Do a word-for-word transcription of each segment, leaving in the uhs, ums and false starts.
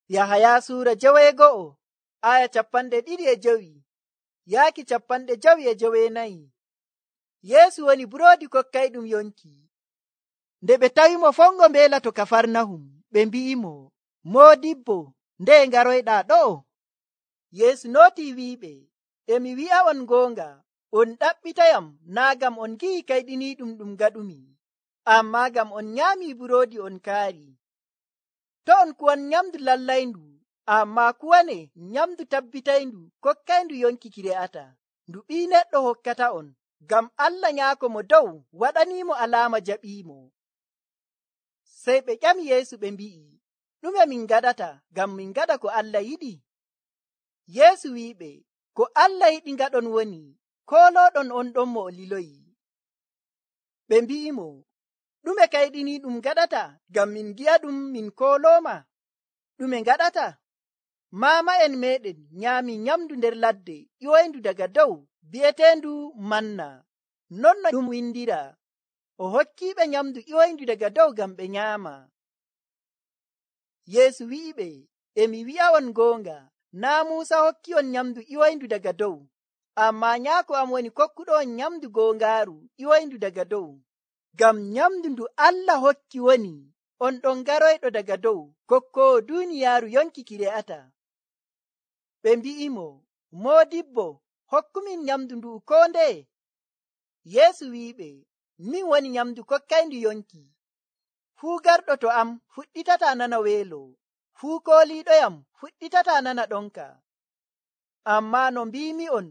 Yahaya suura joweego'o aya capanɗe ɗiɗi e jowi yaaki capanɗe jowi e joweenayi. Yeesu woni buroodi kokkayɗum yonki. Nde ɓe tawimo fongo mbeela to Kafarnahum, ɓe mbi'imo, Moodibbo, nde ngaroyɗaa ɗo? Yeesu nootii wi'iɓe, emi wi'a'on goonga, on ɗaɓɓitayam naa ngam on ngi'i kayɗiniiɗum ɗum gaɗumi, ammaa ngam on nyaamii buroodi on kaari. To on kuwan nyamdu lallayndu, ammaa kuwane nyamdu tabbitayndu kokkayndu yonki ki re'ata, ndu Ɓii Neɗɗo hokkata'on, ngam Allah Nyaako mo dow waɗaniimo alaama jaɓiimo. Sey ɓe ƴami Yeesu ɓe mbi'i, ɗume min ngaɗata ngam min ngaɗa ko Allah yiɗi? Yeesu wi'iɓe, ko Allah yiɗi ngaɗon woni koolooɗon on ɗon mo o liloyi. Ɓe mbi'imo, ɗume kayɗiniiɗum ngaɗata ngam min ngi'aɗum min koolooma? Ɗume ngaɗata? Maama'en meeɗen nyaamii nyamdu nder ladde ƴiwoyndu daga dow bi'eteendu manna. Non no ɗum windiraa, o hokkiiɓe nyamdu ƴiwoyndu daga dow ngam ɓe nyaama. Yeesu wi'iɓe, emi wi'a'on goonga, naa Muusa hokki'on nyamdu ƴiwoyndu daga dow, ammaa Nyaako am woni kokkuɗo'on nyamdu goongaaru ƴiwoyndu daga dow. Ngam nyamdu ndu Allah hokki woni on ɗon garoyɗo daga dow, kokkoowo duuniyaaru yonki ki re'ata. Ɓe mbi'imo, Moodibbo, hokkumin nyamdu ndu koo ndeye. Yeesu wi'iɓe, min woni nyamdu kokkayndu yonki. Fuu garɗo to am fuɗɗitataa nana weelo, fuu kooliiɗoyam fuɗɗitataa nana ɗonka. Ammaa no mbiimi'on,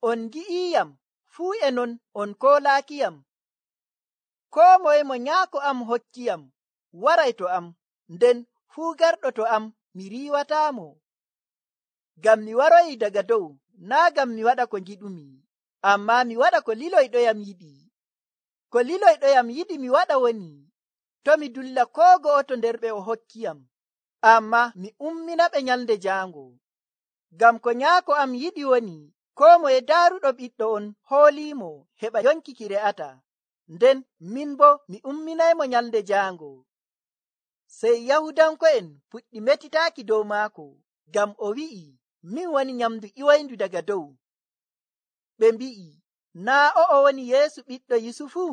on ngi'iiyam, fuu e non on koolaakiyam. Koo moye mo Nyaako am hokkiyam waray to am, nden fuu garɗo to am mi riiwataamo. Ngam mi waroyi daga dow, naa ngam mi waɗa ko ngiɗumi, ammaa mi waɗa ko liloyɗoyam yiɗi. Ko liloyɗoyam yiɗi mi waɗa woni, to mi dulla koo go'oto nder ɓe o hokkiyam, ammaa mi umminaɓe nyalnde jaango. Ngam ko Nyaako am yiɗi woni, koo moye daaruɗo ɓiɗɗo on hooliimo heɓa yonki ki re'ata, nden min boo mi umminaymo nyalnde jaango. Sey Yahudanko'en puɗɗi metitaaki dow maako, ngam o wi'i, min woni nyamdu ƴiwoyndu daga dow. Ɓe mbi'i, naa o'o woni Yeesu ɓiɗɗo Yusufu?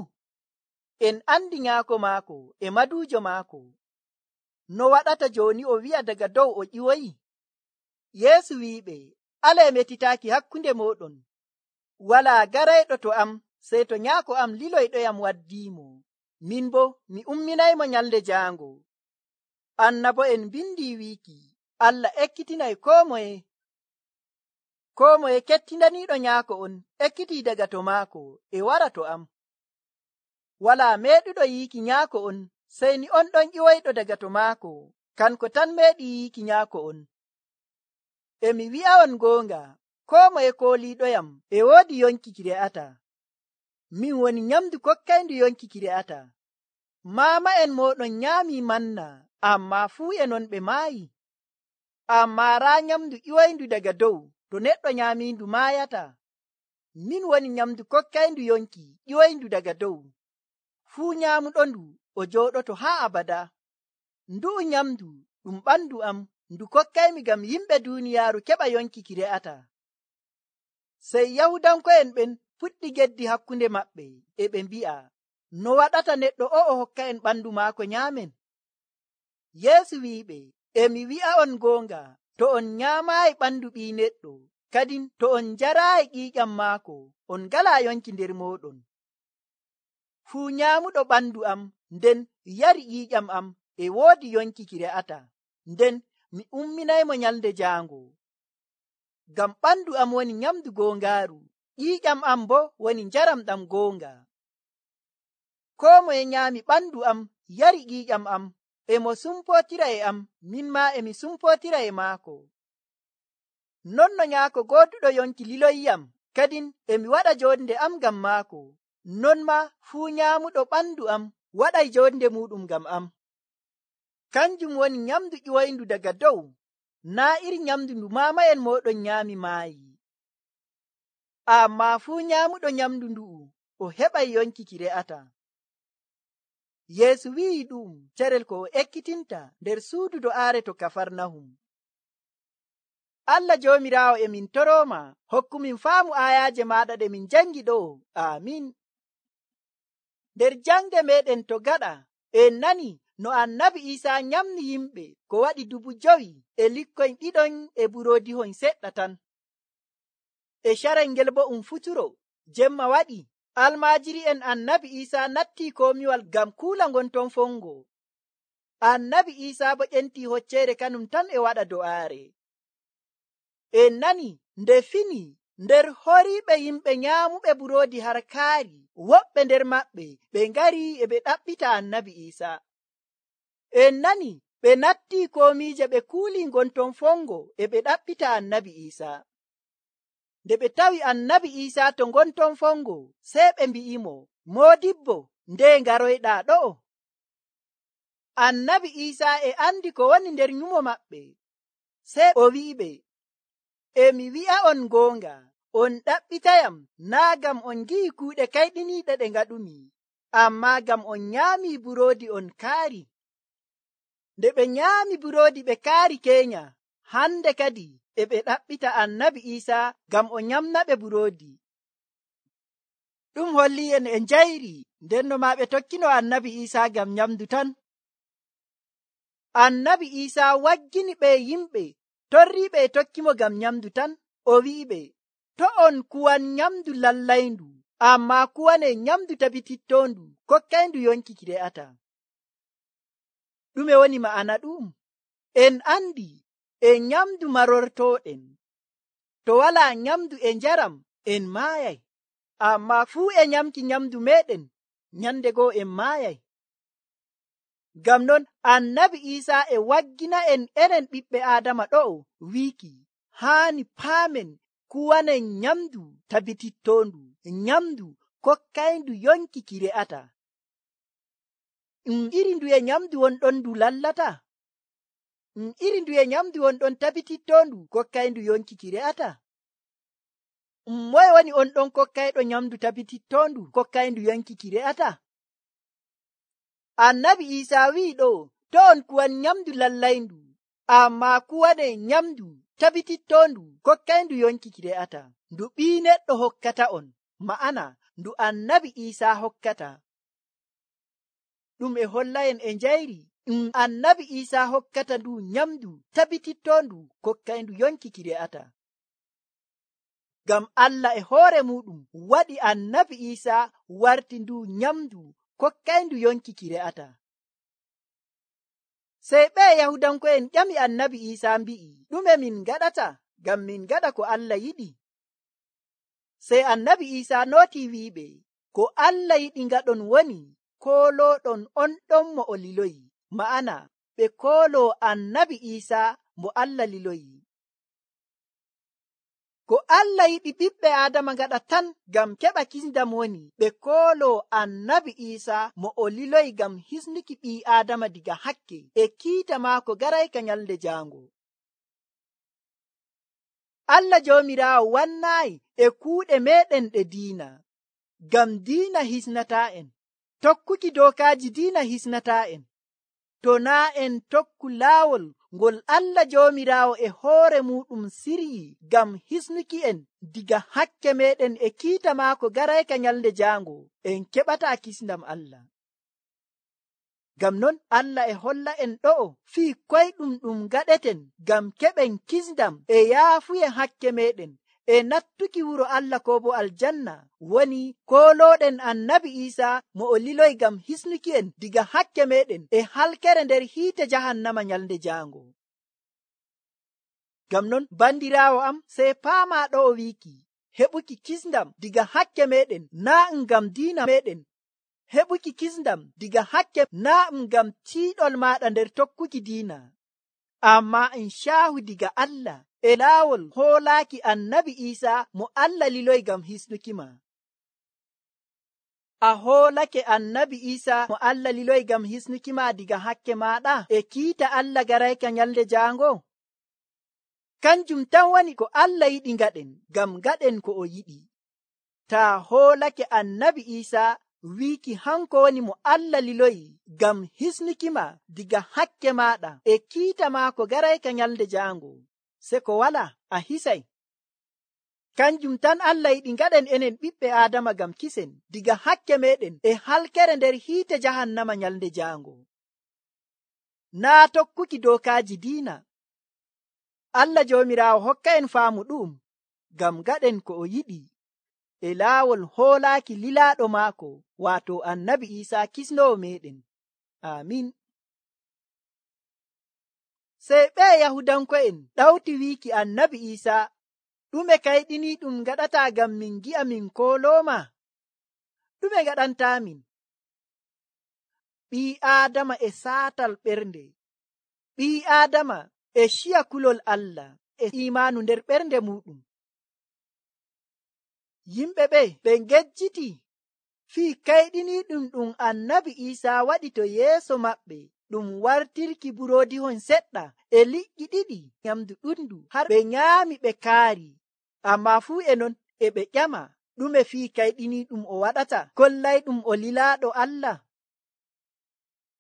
En andi nyaako maako e maduujo maako. No waɗata jooni o wi'a daga dow o ƴiwoyi? Yeesu wi'iɓe, alee metitaaki hakkunde mooɗon. Walaa garayɗo to am sey to Nyaako am liloyɗoyam waddiimo, min boo mi umminaymo nyalnde jaango. Annabo'en mbindi wiiki, Allah ekkitinay koo moye. Koo moye kettindaniiɗo Nyaako on ekkitii daga to maako e wara to am. Walaa meeɗuɗo yiiki Nyaako on sey ni on ɗon ƴiwoyɗo daga to maako, kanko tan meeɗi yiiki Nyaako on. Emi wi'a'on goonga, koo moye kooliiɗoyam e woodi yonki ki re'ata. Min woni nyamdu kokkayndu yonki ki re'ata. Maama'en mooɗon nyaamii manna, ammaa fuu e non ɓe maayi. Ammaa raa nyamdu ƴiwoyndu daga dow, to neɗɗo nyaamiindu maayata. Min woni nyamdu kokkayndu yonki ƴiwoyndu daga dow. Fuu nyaamuɗondu o jooɗoto haa abada. Ndu'u nyamdu ɗum ɓandu am, ndu kokkaymi ngam yimɓe duuniyaaru keɓa yonki ki re'ata. Sey Yahudanko'en ɓen puɗɗi geddi hakkunde maɓɓe, e ɓe mbi'a, no waɗata neɗɗo o'o hokka en ɓandu maako nyaamen? Yeesu wi'iɓe, emi wi'a'on goonga, to on nyaamaayi ɓandu Ɓii Neɗɗo, kadin to on njaraayi ƴiiƴam maako, on ngalaa yonki nder mooɗon. Fuu nyaamuɗo ɓandu am nden yari ƴiiƴam am e woodi yonki ki re'ata, nden mi umminaymo nyalnde jaango. Ngam ɓandu am woni nyamdu goongaaru, ƴiiƴam am boo woni njaram ɗam goonga. Koo moye nyaami ɓandu am yari ƴiiƴam am, e mo sumpootira e am, min maa emi sumpootira e maako. Non no Nyaako gooduɗo yonki liloyiyam, kadin emi waɗa joonde am ngam maako, non maa fuu nyaamuɗo ɓandu am waɗay joonde muuɗum ngam am. Kanjum woni nyamdu ƴiwoyndu daga dow, naa iri nyamdu ndu maama'en mooɗon nyaami maayi. Ammaa fuu nyaamuɗo nyamdu ndu'u o heɓay yonki ki re'ata. Yeesu wi'i ɗum carel ko o ekkitinta nder suudu do'aare to Kafarnahum. Allah Joomiraawo e min toroma hokkumin faamu ayaje maɗa ɗe min jangi ɗo. Amin. Nder jangde meɗen to gaɗa en nani no annabi Isa nyamni yimɓe ko waɗi dubu jowi e likkoyn ɗiɗon e burodihon seɗɗa tan. E carel ngel bo um futuro jemma waɗi almajiri en annabi Isa natti komiwal gam kuula ngon ton fongo. Annabi Isa bo ƴenti hoccere kanum tan e waɗa do'aare. En nani nde fini nder horiɓe yimɓe nyaamuɓe burodi har kaari, woɓɓe nder maɓɓe ɓe ngari e ɓe ɗaɓɓita annabi Isa. En nani ɓe natti komiije ɓe kuuli ngonton fongo e ɓe ɗaɓɓita annabi Isa. Nde ɓe tawi annabi Isa to ngonton fongo, sey ɓe mbi'imo, modibbo, nde ngaroyɗa ɗo? Annabi Isa e andi ko woni nder nyumo maɓɓe, sey o wi'iɓe, e mi wi'a on goonga, on ɗaɓɓitayam naa gam on gi'i kuuɗe kayɗiniiɗe ɗe ngaɗumi, amma gam on nyaami burodi on kaari. Nde ɓe nyaami burodi ɓe kaari keenya, hande kadi e ɓe ɗaɓɓita annabi Isa gam o nyamnaɓe burodi. Ɗum holli en e njayri, nden no ma ɓe tokkino annabi Isa gam nyamdu tan. Annabi Isa waggini ɓe yimɓe torriɓe e tokkimo gam nyamdu tan. O wi'iɓe, to on kuwan nyamdu lallayndu, amma kuwane nyamdu tabitittondu kokkayndu yonki ki re'ata. Ɗume woni ma'ana ɗum? En andi e nyamdu marortoɗen, to wala nyamdu e njaram en maayay, amma fuu e nyamki nyamdu meɗen nyande goo en maayay. Gam non annabi Isa e waggina en enen ɓiɓɓe Adama ɗo wiiki haani paamen kuwanen nyamdu tabitittondu, nyamdu kokkayndu yonki ki re'ata. Um iri nduye nyamdu wonɗon ndu lallata? Um iri nduye nyamdu wonɗon tabitittondu kokkayndu yonki ki re'ata? Um moye woni on ɗon kokkayɗo nyamdu tabitittondu kokkayndu yonki ki re'ata? Annabi Isa wi'i ɗo, to on kuwan nyamdu lallayndu, amma kuwane nyamdu tabitittondu kokkayndu yonki ki re'ata. Ndu ɓii neɗɗo hokkata on, ma'ana ndu annabi Isa hokkata. Ɗum e holla en e njayri, ɗum annabi Isa hokkata ndu nyamdu tabitittondu kokkayndu yonki ki re'ata. Gam Allah e hoore muɗum waɗi annabi Isa warti ndu nyamdu kokkayndu yonki ki re'ata. Sey ɓe Yahudanko'en ƴami annabi Isa mbi'i, ɗume min gaɗata gam min gaɗa ko Allah yiɗi? Sey annabi Isa nooti wi'iɓe, ko Allah yiɗi ngaɗon woni kooloɗon on ɗon mo o liloyi, ma'ana ɓe koolo annabi Isa mo Allah liloyi. Ko Allah yiɗi ɓiɓɓe Adama ngaɗa tan gam keɓa kisndam woni ɓe koolo annabi Isa mo o liloyi gam hisnuki ɓii Adama diga hakke e kiita maako garayka nyalde jaango. Allah Joomiraawo wannaayi e kuuɗe meɗen ɗe diina, gam diina hisnata en, tokkuki dookaaji diina hisnata en, to naa en tokku laawol ngol Allah Joomiraawo e hoore muɗum siryi gam hisnuki en diga hakke meɗen e kiita maako garayka nyalde jaango, en keɓata kisndam Allah. Gam non Allah e holla en ɗo fii koyɗum ɗum gaɗeten gam keɓen kisndam e yaafuye hakke meɗen e nattuki wuro Allah ko bo aljanna, woni kooloɗen annabi Isa mo o liloy gam hisnuki en diga hakke meɗen e halkere nder hiite jahannama nyalde jaango. Gam non bandirawo am, sey paama ɗo o wiiki heɓuki kisndam diga hakke meɗen naa ngam diina meɗen, heɓuki kisndam diga hakke naa ngam tiiɗol maɗa nder tokkuki diina, amma en caahu diga Allah e laawol hoolaaki annabi Isa mo Allah liloy gam hisnuki ma. A hoolake annabi Isa mo Allah liloy gam hisnuki ma diga hakke maɗa e kiita Allah garayka nyalde jaango? Kanjum tan woni ko Allah yiɗi ngaɗen gam ngaɗen ko o yiɗi. Ta hoolake annabi Isa wiiki hanko woni mo Allah liloyi gam hisnuki ma diga hakke maɗa e kiita maako garayka nyalde jaango, se ko wala a hisay. Kanjum tan Allah yiɗi ngaɗen enen ɓiɓɓe Aadama ngam kisen diga hakke meɗen e halkere nder hiite jahannama nyalnde jaango. Naa tokkuki dookaaji diina. Allah Joomiraawo hokka en faamu ɗum ngam ngaɗen ko o yiɗi e laawol hoolaaki lilaaɗo maako waato Annabi Iisaa kisnoowo meɗen. Aamin. Sey ɓe Yahudanko'en ɗawti wiiki Annabi Iisaa, ɗume kayɗini ɗum ngaɗata ngam min gi'a min koolooma? Ɗume ngaɗantaamin? Ɓii Aadama e saatal ɓernde. Ɓii Aadama e ciya kulol Allah e imaanu nder ɓernde muɗum. Yimɓe ɓe ɓe ngejjiti fii kayɗiniiɗum ɗum Annabi Iisaa waɗi to yeeso maɓɓe, ɗum wartirki buroodihon seɗɗa e liƴƴi ɗiɗi nyamdu ɗuɗndu har ɓe nyaami ɓe kaari. Ammaa fuu e non e ɓe ƴama ɗume fii kayɗiniiɗum o waɗata kollayɗum o lilaaɗo Allah.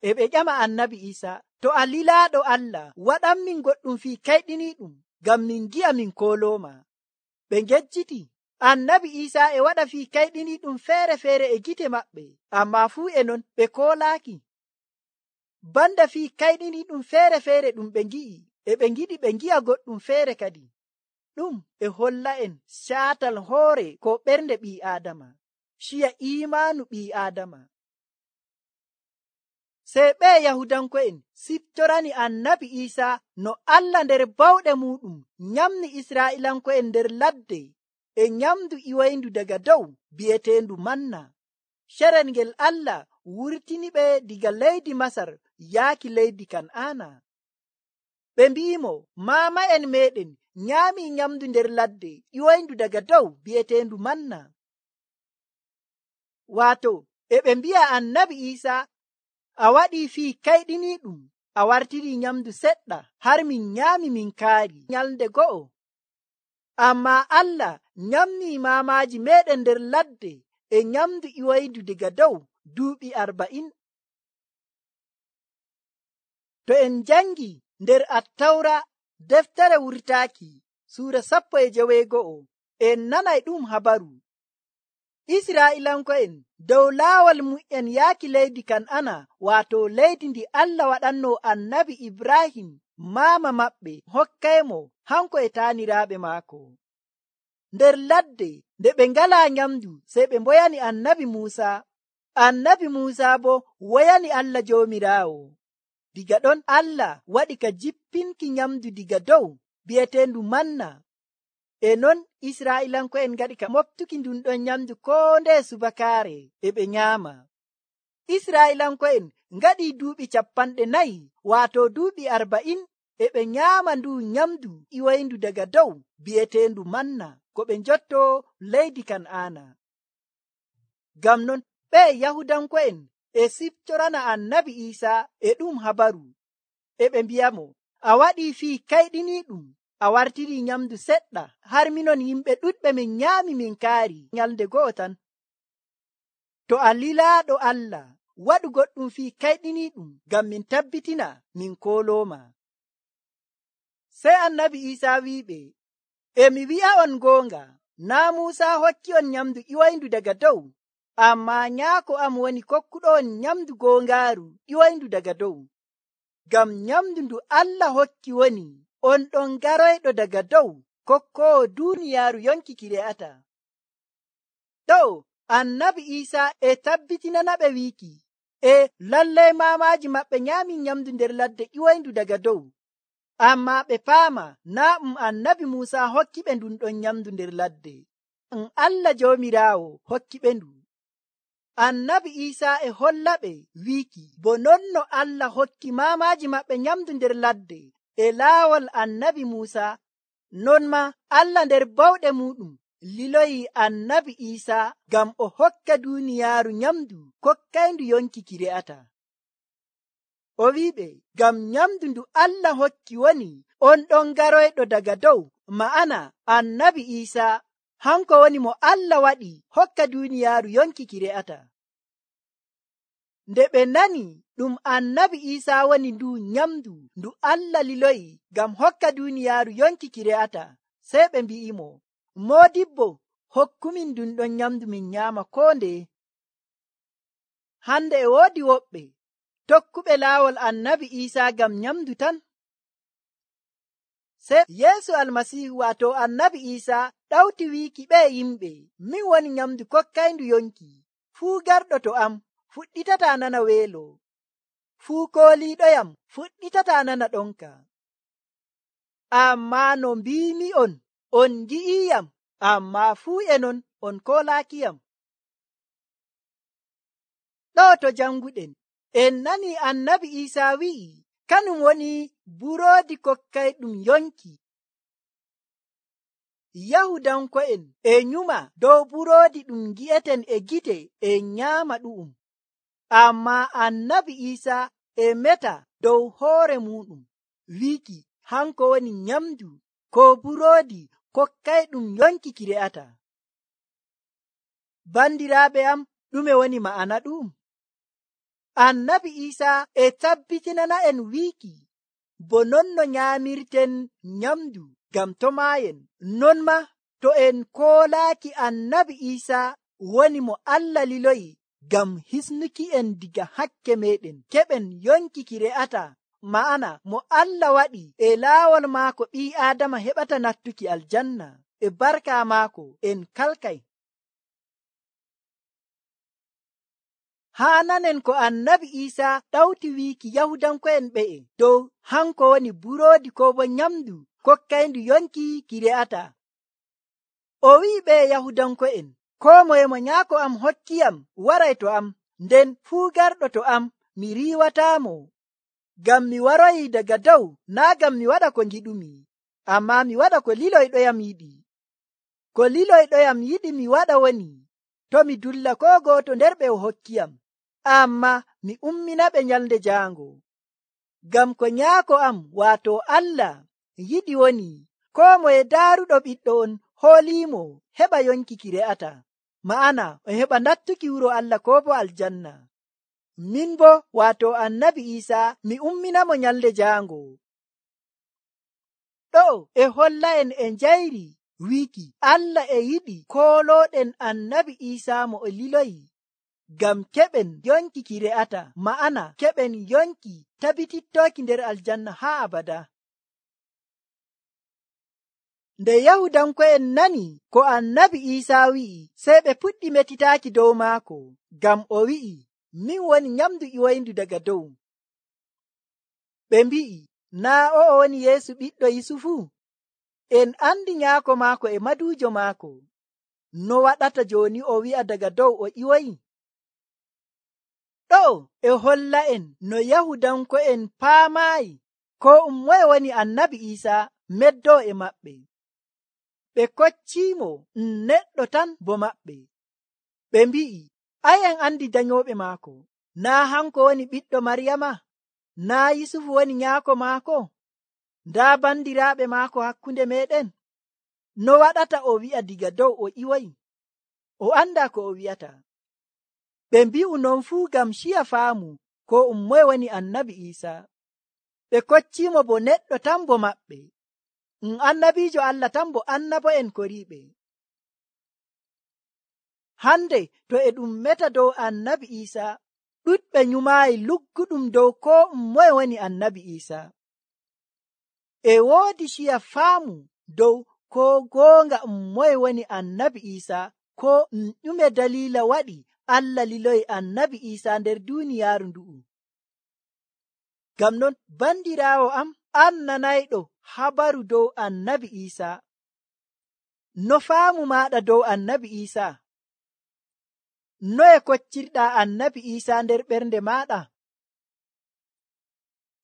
E ɓe ƴama Annabi Iisaa, to a lilaaɗo Allah, waɗanmin goɗɗum fii kayɗiniiɗum ngam min gi'a min koolooma. Ɓe ngejjiti. Annabi Iisaa e waɗa fii kayɗiniiɗum feere-feere e gite maɓɓe, ammaa fuu e non ɓe koolaaki. Banda fii kayɗiniiɗum feere-feere ɗum ɓe ngi'i, e ɓe ngiɗi ɓe ngi'a goɗɗum feere kadi. Ɗum e holla en caatal hoore ko ɓernde ɓii Aadama, ciya iimaanu ɓii Aadama. Sey ɓe Yahudanko'en siftorani Annabi Iisaa no Allah nder bawɗe muɗum nyamni Israa'iilanko'en nder ladde e nyamdu iwayndu daga dow bi'eteendu manna, cerel ngel Allah wurtini ɓe diga leydi Masar yaaki leydi Kan'aana. Ɓe mbi'imo, maama'en meɗen nyaami nyamdu nder ladde iwayndu daga dow bi'eteendu manna. Waato e ɓe mbi'a Annabi Iisaa, a waɗii fii kayɗiniiɗum, a wartirii nyamdu seɗɗa har min nyaami min kaari nyalnde go'o. Ammaa Allah nyamnii maamaaji meɗen nder ladde e nyamdu iwayndu daga dow duuɓi arba'in. To en jangi nder Attawra deftere wurtaaki suura sappo e joweego'o, en nanay ɗum habaru. Israa'iilanko'en dow laawol mu'en yaaki leydi Kan'ana, waato leydi ndi Allah waɗanno Annabi Ibrahim maama maɓɓe hokkaymo hanko e taaniraaɓe maako. Nder ladde nde ɓe ngalaa nyamdu, sey ɓe mboyani Annabi Muusaa. Annabi Muusaa bo woyani Allah Joomiraawo. Diga ɗon Allah waɗi ka jippinki nyamdu diga dow bi'eteendu manna. E non Israa'iilanko'en ngaɗi ka moftuki ndun ɗon nyamdu koo ndee subakaare e ɓe nyaama. Israa'iilanko'en ngaɗi duuɓi cappanɗe nayi, waato duuɓi arba'in, e ɓe nyaama ndu nyamdu iwayndu daga dow bi'eteendu manna ko ɓe njotto leydi Kan'aana. Ngam non ɓe Yahudanko'en e siftorana Annabi Iisaa e ɗum habaru, e ɓe mbi'amo, a waɗii fii kayɗiniiɗum, a wartirii nyamdu seɗɗa har minon yimɓe ɗuɗɓe min nyaami min kaari nyalnde go'o tan. To a lilaaɗo Allah, waɗu goɗɗum fii kayɗiniiɗum ngam min tabbitina min koolooma. Sey Annabi Iisaa wi'iɓe, e mi wi'a'on goonga, naa Muusaa hokki on nyamdu iwayndu daga dow, ammaa Nyaako am woni kokkuɗo on nyamdu goongaaru iwayndu daga dow. Ngam nyamdu ndu Allah hokki woni on ɗon garoyɗo daga dow, kokkoowo duuniyaaru yonki ki re'ata. Ɗo Annabi Iisaa e tabbitinana ɓe wiiki, e lallay maamaaji maɓɓe nyaami nyamdu nder ladde iwayndu daga dow, ammaa ɓe paama naa ɗum Annabi Muusaa hokki ɓe ndun ɗon nyamdu nder ladde, ɗum Allah Joomiraawo hokki ɓe ndu. Annabi Iisaa e holla ɓe wiiki, bo non no Allah hokki maamaaji maɓɓe nyamdu nder ladde e laawol Annabi Muusaa, non ma Allah nder bawɗe muɗum liloyi Annabi Iisaa ngam o hokka duuniyaaru nyamdu kokkayndu yonki ki re'ata. O wi'iɓe, ngam nyamdu ndu Allah hokki woni on ɗon garoyɗo daga dow, ma'ana Annabi Iisaa hanko woni mo Allah waɗi hokka duuniyaaru yonki ki re'ata. Nde ɓe nani ɗum annabi Iisaa woni ndu nyamdu ndu Allah liloyi ngam hokka duuniyaaru yonki ki re'ata, sey ɓe mbi'imo, moodibbo, hokkumin ndun ɗon nyamdu min nyaama koo ndeye. Hande e woodi woɓɓe tokkuɓe laawol annabi Iisaa ngam nyamdu tan. Sey Yeesu Almasiihu waato annabi Iisaa ɗawti wiiki ɓe yimɓe, min woni nyamdu kokkayndu yonki. Fuu garɗo to am fuɗɗitataa nana weelo, fuu kooliiɗoyam fuɗɗitataa nana ɗonka. Ammaa no mbiimi'on, on ngi'iyam, ammaa fuu e non on koolaakiyam. Ɗo to janguɗen en nani annabi Iisaa wi'i kanum woni buroodi kokkayɗum yonki. Yahudanko'en e nyuma dow buroodi ɗum ngi'eten e gite en nyaama ɗu'um, ammaa annabi Iisaa e meta dow hoore muɗum wiiki hanko woni nyamdu ko buroodi kokkayɗum yonki ki re'ata. Bandiraaɓe am, ɗume woni ma'ana ɗum? Annabi Iisaa e tabbitinana en wiiki bo non no nyaamirten nyamdu ngam to maayen, non ma to en koolaaki annabi Iisaa woni mo Allah liloyi ngam hisnuki en diga hakke meɗen keɓen yonki ki re'ata, ma'ana mo Allah waɗi e laawol maako ɓii Aadama heɓata nattuki aljanna. E barka maako en kalkay. Haa nanen ko annabi Iisaa ɗawti wiiki Yahudanko'en ɓe'e dow hanko woni buroodi ko bo nyamdu kokkayndu yonki ki re'ata. O wi'i ɓe Yahudanko'en, koo moye mo nyaako am hokkiyam waray to am, nden fuu garɗo to am mi riiwataamo. Ngam mi waroyi daga dow naa ngam mi waɗa ko ngiɗumi, ammaa mi waɗa ko liloyɗoyam yiɗi. Ko liloyɗoyam yiɗi mi waɗa woni to mi dulla koo gooto nder ɓe o hokkiyam, ammaa mi umminaɓe nyalnde jaango. Ngam ko nyaako am waato Allah yiɗi woni koo moye daaruɗo ɓiɗɗo on hooliimo heɓa yonki ki re'ata, ma'ana o heɓa nattuki wuro Allah koo bo aljanna. Min bo waato annabi Iisaa mi umminamo nyalnde jaango. Ɗo e holla en e njayri wiiki Allah e yiɗi koolooɗen annabi Iisaa mo o liloyi ngam keɓen yonki ki re'ata, ma'ana keɓen yonki tabitittooki nder aljanna haa abada. Nde Yahudanko'en nani ko annabi Iisaa wi'i, sey ɓe puɗɗi metitaaki dow maako, ngam o wi'i, min woni nyamdu ƴiwoyndu daga dow. Ɓe mbi'i, naa o'o woni Yeesu ɓiɗɗo Yusufu? En andi nyaako maako e maduujo maako. No waɗata jooni o wi'a daga dow o ƴiwoyi? Ɗo e holla en no Yahudanko'en paamaayi ko um moye woni annabi Iisaa meddoo e maɓɓe. Ɓe kocciimo um neɗɗo tan bo maɓɓe. Ɓe mbi'i, ay en andi danyooɓe maako. Naa hanko woni ɓiɗɗo Maryama? Naa Yusufu woni nyaako maako? Ndaa bandiraaɓe maako hakkunde meɗen? No waɗata o wi'a diga dow o ƴiwoyi? O anda ko o wi'ata. Ɓe mbi'u non fuu ngam ciya faamu ko um moye woni annabi Iisaa. Ɓe kocciimo bo neɗɗo tan bo maɓɓe. Um annabiijo Allah tan bo annabo'en koriiɓe. Hande to e ɗum meta dow annabi Iisaa, ɗuɗɓe nyumaayi lugguɗum dow ko um moye woni annabi Iisaa. E woodi ciya faamu dow ko goonga um moye woni annabi Iisaa, ko um ɗume daliila waɗi Allah liloyi annabi Iisaa nder duuniyaaru ndu'u. Ngam non bandiraawo am, an nanayɗo habaru dow annabi Iisaa, no faamu maaɗa dow annabi Iisaa? Noye koccirɗaa annabi Iisaa nder ɓernde maaɗa?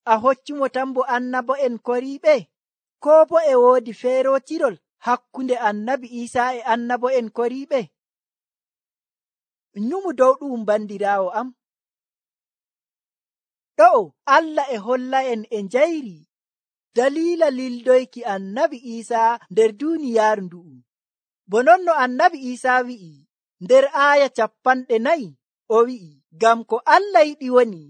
A hoccumo tan bo annabo'en koriiɓe, koo bo e woodi feerootirol hakkunde annabi Iisaa e annabo'en koriiɓe? Nyumu dow ɗum bandiraawo am. Ɗo Allah e holla en e njayri daliila lildoyki annabi Iisaa nder duuniyaaru ndu'u. Bo non no annabi Iisaa wi'i nder aaya cappanɗe nayi, o wi'i, Ngam ko Allah yiɗi woni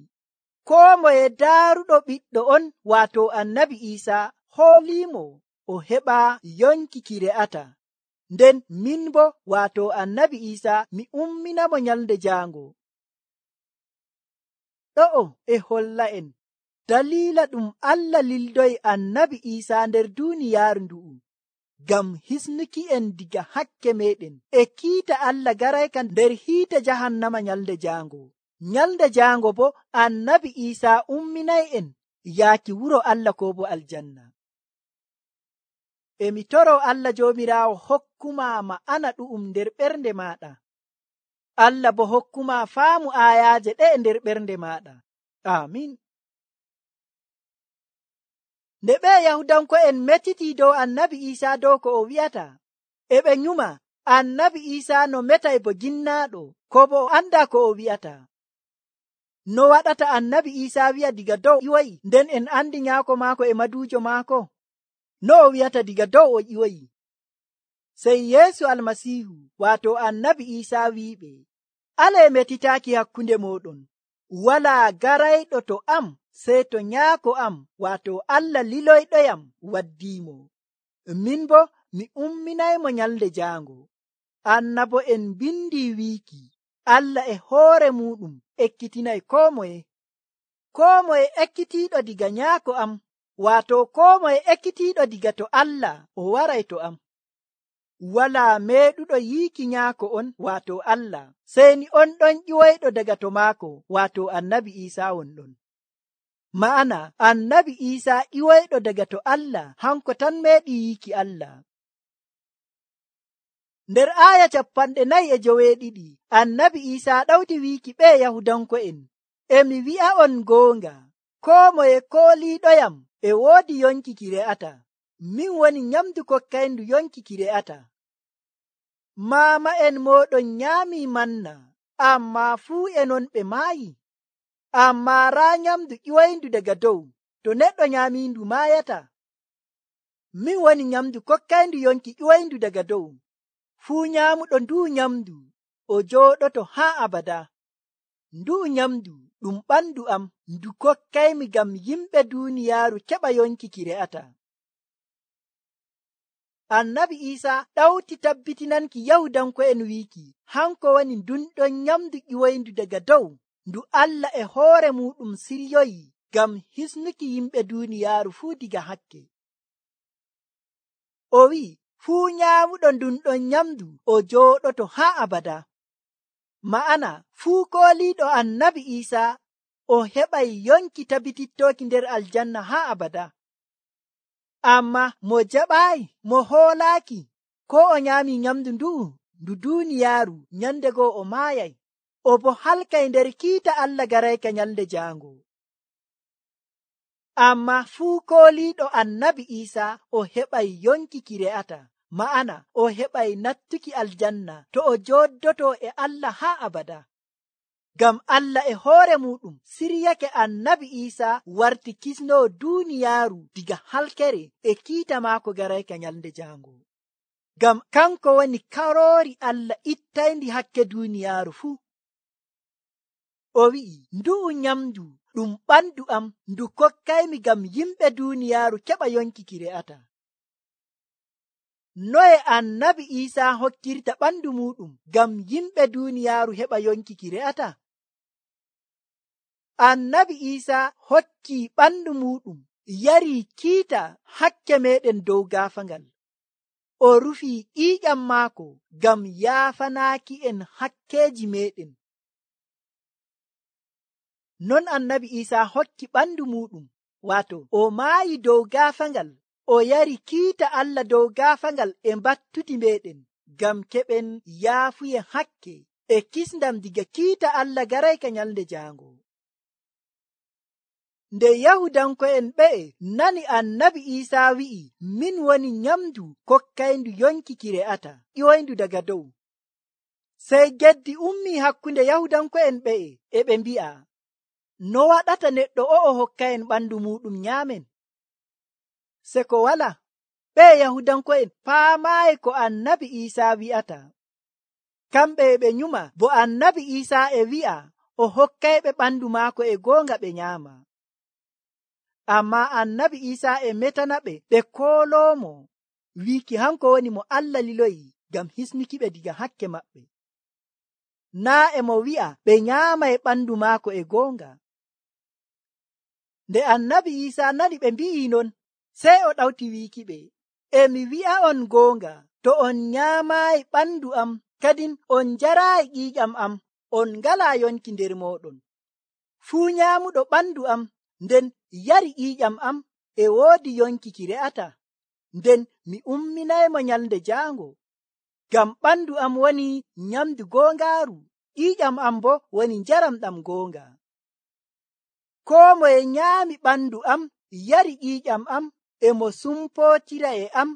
koo moye daaruɗo ɓiɗɗo on waato annabi Iisa hooliimo o heɓa yonki ki re'ata. Nden min bo waato annabi Iisa mi umminamo nyalde jaango. Ɗo'o e holla'en dalila ɗum Allah lildoyi annabi Iisa nder duuniyaaru ndu'u ngam hisnuki en diga hakke meɗen e kiita Allah garayka nder hiite jahannama nyalde jaango. Nyalde jaango bo annabi Iisa umminay en yaaki wuro Allah ko bo aljanna. Emi toro Allah joomiraawo hokkuma ma'ana ɗu'um nder ɓernde maɗa. Allah bo hokkuma faamu aayaaje ɗe nder ɓernde maɗa. Amin. Nde ɓe Yahudanko'en metiti dow annabi Iisa dow ko o wi'ata, e ɓe nyuma annabi Iisa no metay bo ginnaaɗo, ko bo o anda ko o wi'ata. No waɗata annabi Iisa wi'a diga dow ƴiwoyi, nden en andi nyaako maako e maduujo maako? No o wi'ata diga dow o ƴiwoyi? Sey Yeesu Almasiihu waato annabi Iisa wi'iɓe, alee metitaaki hakkunde mooɗon. Walaa garayɗo to am sey to nyaako am waato Allah liloyɗoyam waddiimo. Min bo mi umminaymo nyalde jaango. Annabo en bindi wiiki Allah e hoore muɗum ekkitinay koo moye. Koo moye ekkitiiɗo diga nyaako am waato koo moye ekkitiiɗo diga to Allah o waray to am. Walaa meeɗuɗo yiiki nyaako on waato Allah seyni on ɗon ƴiwoyɗo daga to maako waato annabi Iisa wonɗon. Ma'ana annabi Iisa ƴiwoyɗo daga to Allah hanko tan meeɗi yiiki Allah. Nder aaya capanɗe nayi e joweeɗiɗi annabi Iisa ɗawti wiiki ɓe Yahudanko'en, emi wi'a'on goonga, koo moye kooliiɗoyam e woodi yonki ki re'ata. Min woni nyamdu kokkayndu yonki ki re'ata. Maama'en mooɗon nyaamii manna, ammaa fuu e non ɓe maayi. Ammaa raa nyamdu ƴiwoyndu daga dow, to neɗɗo nyaamiindu maayata. Min woni nyamdu kokkayndu yonki ƴiwoyndu daga dow. Fuu nyaamuɗo nduu nyamdu o jooɗoto haa abada. Nduu nyamdu ɗum ɓandu am ndu kokkaymi ngam yimɓe duuniyaaru keɓa yonki ki re'ata. Annabi Iisa ɗawti tabbitinanki Yahudanko'en wiiki hanko woni ndunɗon nyamdu ƴiwoyndu daga dow ndu Allah e hoore muɗum siryoyi ngam hisnuki yimɓe duuniyaaru fuu diga hakke. O wi'i fuu nyaamuɗo ndunɗon nyamdu o jooɗoto haa abada. Ma'ana fuu kooliiɗo annabi Iisa o heɓay yonki tabitittoki nder aljanna haa abada. Amma mo jaɓaayi, mo hoolaaki, ko o nyaami nyamdu ndu'u ndu duuniyaaru nyande goo o maayay, o bo halkay nder kiita Allah garayka nyalde jaango. Amma fuu kooliiɗo annabi Iisa o heɓay yonki ki re'ata, ma'ana o heɓay nattuki aljanna to o jooddoto e Allah haa abada. Ngam Allah e hoore muɗum siryake annabi Iisa warti kisnoo duuniyaaru diga halkere e kiita maako garayka nyalde jaango. Ngam kanko woni karoori Allah ittayndi hakke duuniyaaru fuu. O wi'i, ndu'u nyamdu ɗum ɓandu am ndu kokkaymi ngam yimɓe duuniyaaru keɓa yonki ki re'ata. Noye annabi Iisa hokkirta ɓandu muɗum ngam yimɓe duuniyaaru heɓa yonki ki re'ata? Annabi Iisa hokki ɓandu muɗum yari kiita hakke meɗen dow gaafangal. O rufii ƴiiƴam maako ngam yaafanaaki en hakkeeji meɗen. Non annabi Iisa hokki ɓandu muɗum, waato o maayi dow gaafangal, o yari kiita Allah dow gaafangal e mbattuti meɗen ngam keɓen yaafuye hakke e kisndam diga kiita Allah garayka nyalde jaango. Nde Yahudanko'en ɓe'e nani annabi Iisa wi'i, min woni nyamdu kokkayndu yonki ki re'ata, ƴiwoyndu daga dow. Sey geddi ummii hakkunde Yahudanko'en ɓe'e e ɓe mbi'a, no waɗata neɗɗo o'o hokkayen ɓandu muɗum nyaamen? Se ko wala, ɓe Yahudanko'en paamaayi ko annabi Iisa wi'ata. Kamɓe e ɓe nyuma bo annabi Iisa e wi'a o hokkayɓe ɓandu maako e goonga ɓe nyaama. Amma annabi Isa e metanaɓe ɓe kooloomo wiiki hanko woni mo Allah liloyi ngam hisnukiɓe diga hakke maɓɓe. Naa e mo wi'a ɓe nyaama e ɓandu maako e goonga. Nde annabi Isa nani ɓe mbi'i non, sey o ɗawti wiikiɓe, emi wi'a'on goonga, to on nyaamaayi ɓandu am kadin on njaraayi ƴiiƴam am, on ngalaa yonki nder mooɗon. Fuu nyaamuɗo ɓandu am nden yari ƴiiƴam am e woodi yonki ki re'ata, nden mi umminaymo nyalnde jaango. Ngam ɓandu am woni nyamdu goongaaru, ƴiiƴam am bo woni njaram ɗam goonga. Koo moye nyaami ɓandu am yari ƴiiƴam am e mo sumpootira e am,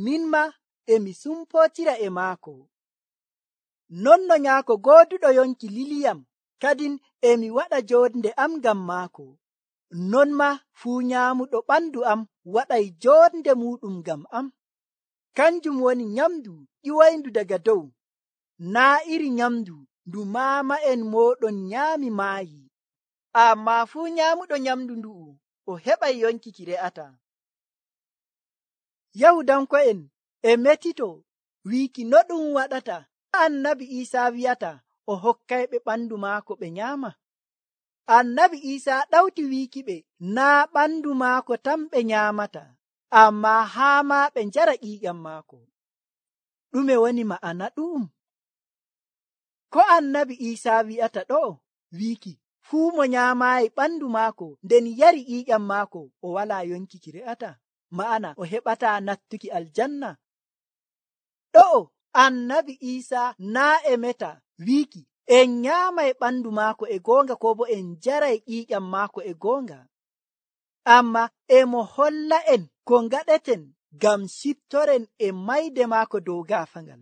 min ma emi sumpootira e maako. Non no nyaako gooduɗo yonki liliyam, kadin emi waɗa joonde am ngam maako. Non ma fuu nyaamuɗo ɓandu am waɗay joonde muuɗum ngam am. Kanjum woni nyamdu ƴiwoyndu daga dow, naa iri nyamdu ndu maama'en mooɗon nyaami maayi. Ammaa fuu nyaamuɗo nyamdu ndu'u o heɓay yonki ki re'ata. Yahudanko'en e metito wiiki no ɗum waɗata annabi Isa wi'ata o hokkayɓe ɓandu maako ɓe nyaama. Annabi Isa ɗawti wiikiɓe naa ɓandu maako tan ɓe nyaamata, ammaa haa ma ɓe njara ƴiiƴam maako. Ɗume woni ma'ana ɗu'um? Ko annabi Isa wi'ata ɗo wiiki fuu mo nyaamaayi ɓandu maako nden yari ƴiiƴam maako o walaa yonki ki re'ata, ma'ana o heɓataa nattuki aljanna. Ɗo annabi Isa naa e meta wiiki en nyaamay ɓandu maako e goonga ko bo en jaray ƴiiƴam maako e goonga, amma e mo holla en ko ngaɗeten ngam ciftoren e mayde maako dow gaafaangal.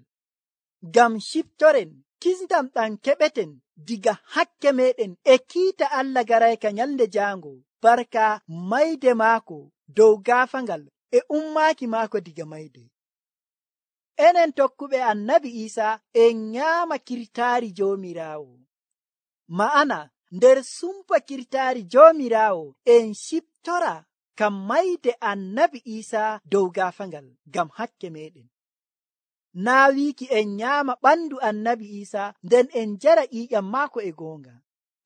Ngam ciftoren kisndam ɗam keɓeten diga hakke meɗen e kiita Allah garayka nyalnde jaango, barka mayde maako dow gaafaangal e ummaaki maako diga mayde. Enen tokkuɓe annabi Isa en nyaama kirtaari Joomiraawo, ma'ana nder sumpa kirtaari Joomiraawo en ciftora kam mayde annabi Isa dow gaafaangal ngam hakke meɗen. Naa wiiki en nyaama ɓandu annabi Isa nden en jara ƴiiƴam maako e goonga.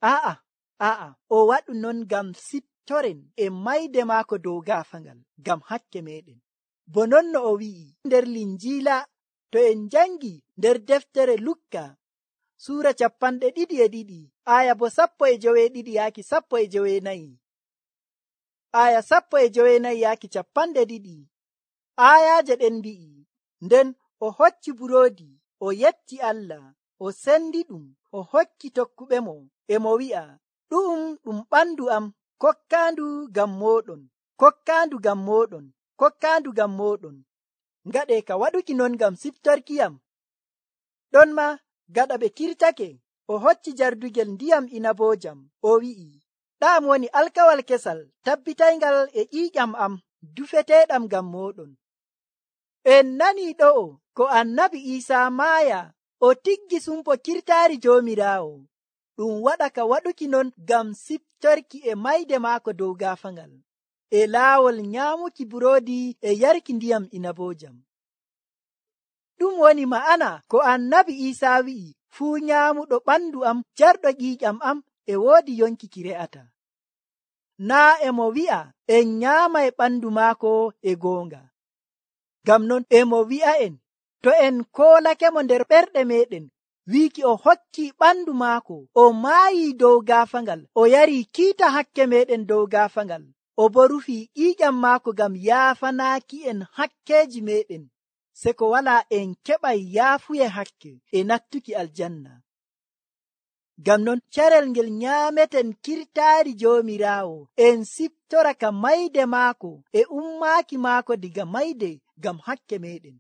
A'a, a'a, o waɗu non ngam ciftoren e mayde maako dow gaafaangal ngam hakke meɗen. Bo non no o wi'i nder Linjiila to en jangi nder deftere Lukka suura capanɗe ɗiɗi e ɗiɗi aya bo sappo e joweeɗiɗi yaaki sappo e joweenayi. Aya sappo e joweenayi yaaki capanɗe ɗiɗi. Ayaaje ɗen mbi'i, nden o hocci buroodi, o yetti Allah, o sendi ɗum, o hokki tokkuɓe mo, e mo wi'a, ɗu'um ɗum ɓandu am kokkaandu ngam mooɗon, kokkaandu ngam mooɗon, kokkaandu ngam mooɗon. Ngaɗe ka waɗuki non ngam siftorkiyam. Ɗon ma gaɗa ɓe kirtake, o hocci jardugel ndiyam inaboojam, o wi'i, ɗam woni alkawal kesal tabbitayngal e ƴiiƴam am dufeteeɗam ngam mooɗon. En nani ɗo'o ko annabi Isa maaya o tiggi sumpo kirtaari Joomiraawo, ɗum waɗa ka waɗuki non ngam siftorki e mayde maako dow gaafaangal, e laawol nyaamuki buroodi e yarki ndiyam inaboojam. Ɗum woni ma'ana ko annabi Isa wi'i fuu nyaamuɗo ɓandu am jarɗo ƴiiƴam am e woodi yonki ki re'ata. Naa e mo wi'a en nyaama e ɓandu maako e goonga. Ngam non e mo wi'a en to en koolakemo nder ɓerɗe meɗen wiiki o hokki ɓandu maako, o maayi dow gaafaangal, o yari kiita hakke meɗen dow gaafaangal, o bo rufi ƴiiƴam maako ngam yaafanaaki en hakkeeji meɗen, se ko walaa en keɓay yaafuye hakke e nattuki aljanna. Ngam non carel ngel nyaameten kirtaari Joomiraawo en siftora ka mayde maako e ummaaki maako diga mayde ngam hakke meɗen,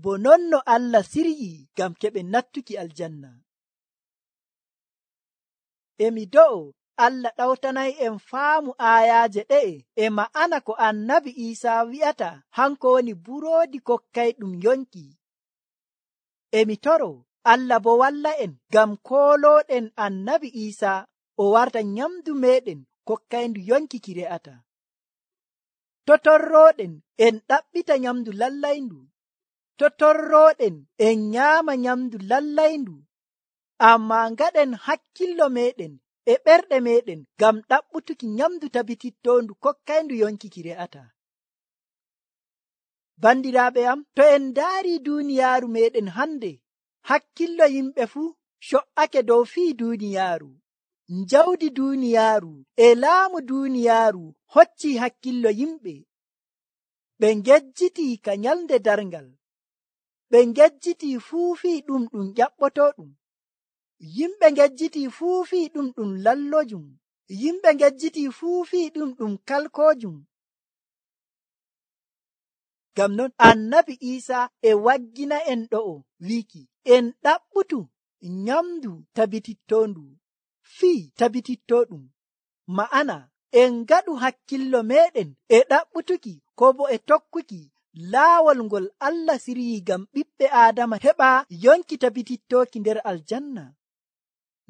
bo non no Allah siryi ngam keɓen nattuki aljanna. Emi do'o Allah ɗawtanay en faamu aayaaje ɗe'e e ma'ana ko annabi Isa wi'ata hanko woni buroodi kokkayɗum yonki. Emi toro Allah bo walla en ngam kooloɗen annabi Isa o warta nyamdu meɗen kokkayndu yonki ki re'ata. To torroɗen en ɗaɓɓita nyamdu lallayndu, to torroɗen en nyaama nyamdu lallayndu, amma ngaɗen hakkillo meɗen e ɓerɗe meɗen ngam ɗaɓɓutuki nyamdu tabitittondu kokkayndu yonki ki re'ata. Bandiraaɓe am, to en ndaari duuniyaaru meɗen hande, hakkillo yimɓe fuu co'ake dow fii duuniyaaru. Njawdi duuniyaaru e laamu duuniyaaru hocci hakkillo yimɓe. Ɓe ngejjitii ka nyalnde darngal, ɓe ngejjitii fuu fii ɗum ɗum ƴaɓɓotooɗum. Yimɓe ngejjitii fuu fii ɗum ɗum lallojum, yimɓe ngejjitii fuu fii ɗum ɗum kalkoojum. Ngam non annabi Isa e waggina en ɗo'o wiiki en ɗaɓɓutu nyamdu tabitittondu fii tabitittoɗum, ma'ana en ngaɗu hakkillo meɗen e ɗaɓɓutuki ko bo e tokkuki laawol ngol Allah siryi ngam ɓiɓɓe Aadama heɓa yonki tabitittoki nder aljanna.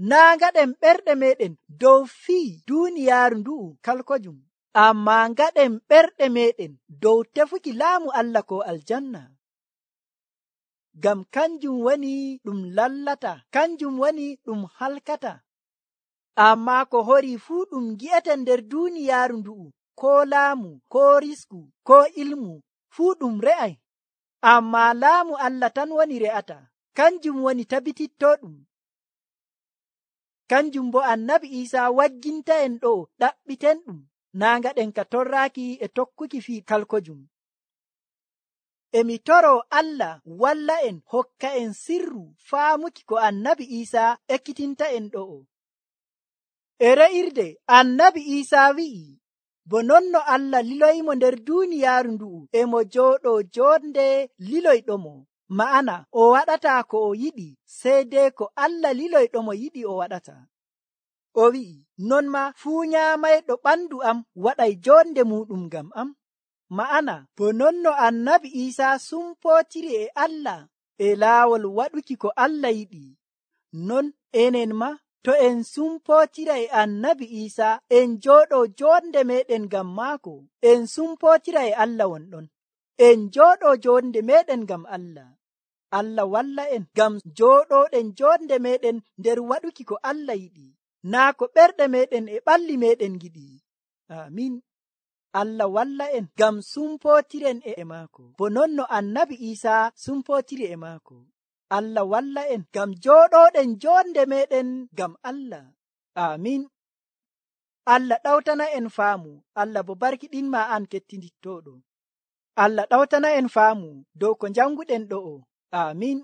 Naa ngaɗen ɓerɗe meɗen dow fii duuniyaaru ndu'u kalkojum, amma ngaɗen ɓerɗe meɗen dow tefuki laamu Allah ko aljanna. Ngam kanjum woni ɗum lallata, kanjum woni ɗum halkata. Amma ko hori fuu ɗum gi'eten nder duuniyaaru ndu'u, ko laamu, ko risku, ko ilmu, fuu ɗum re'ay. Amma laamu Allah tan woni re'ata, kanjum woni tabitittoɗum. Kanjum bo annabi Isa wagginta en ɗo ɗaɓɓiten ɗum, naa ngaɗen ka torraaki e tokkuki fii kalkojum. Emi toro Allah walla en hokka en sirru faamuki ko annabi Isa ekkitinta en ɗo'o. E re'irde annabi Isa wi'i, bo non no Allah liloyimo nder duuniyaaru ndu'u e mo jooɗoo joonde liloyɗomo, ma'ana o waɗataa ko o yiɗi, sey dei ko Allah liloyɗomo yiɗi o waɗata. O wi'i, non ma fuu nyaamayɗo ɓandu am waɗay joonde muɗum ngam am. Ma'ana bo non no annabi Isa sumpootiri e Allah e laawol waɗuki ko Allah yiɗi, non enen ma to en sumpootira e annabi Isa en jooɗoo joonde meɗen ngam maako, en sumpootira e Allah wonɗon, en jooɗoo joonde meɗen ngam Allah. Allah walla en ngam jooɗooɗen joonde meɗen nder waɗuki ko Allah yiɗi, naa ko ɓerɗe meɗen e ɓalli meɗen giɗi. Amin. Allah walla en ngam sumpootiren e maako, bo non no annabi Isa sumpootiri e maako. Allah walla en ngam jooɗooɗen joonde meɗen ngam Allah. Amin. Allah ɗawtana en faamu, Allah bo barkiɗinma an kettinittooɗo. Allah ɗawtana en faamu dow ko janguɗen ɗo'o. Amin.